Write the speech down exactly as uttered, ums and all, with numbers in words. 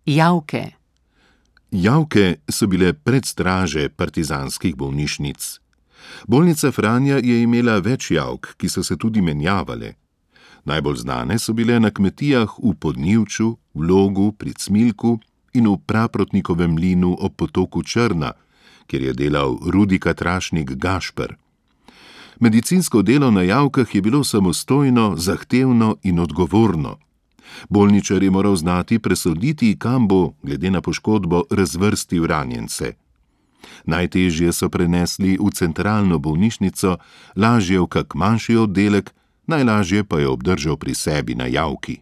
Javke. Javke so bile predstraže partizanskih bolnišnic. Bolnica Franja je imela več javk, ki so se tudi menjavale. Najbolj znane so bile na kmetijah v Podnivču, v Logu, pri Cmilku in v Praprotnikovem mlinu ob potoku Črna, kjer je delal Rudika Trašnik Gašper. Medicinsko delo na javkah je bilo samostojno, zahtevno in odgovorno. Bolničar je moral znati presoditi, kam bo, glede na poškodbo, razvrstil ranjence. Najtežje so prenesli v centralno bolnišnico, lažje v kak manjši oddelek, najlažje pa je obdržal pri sebi na javki.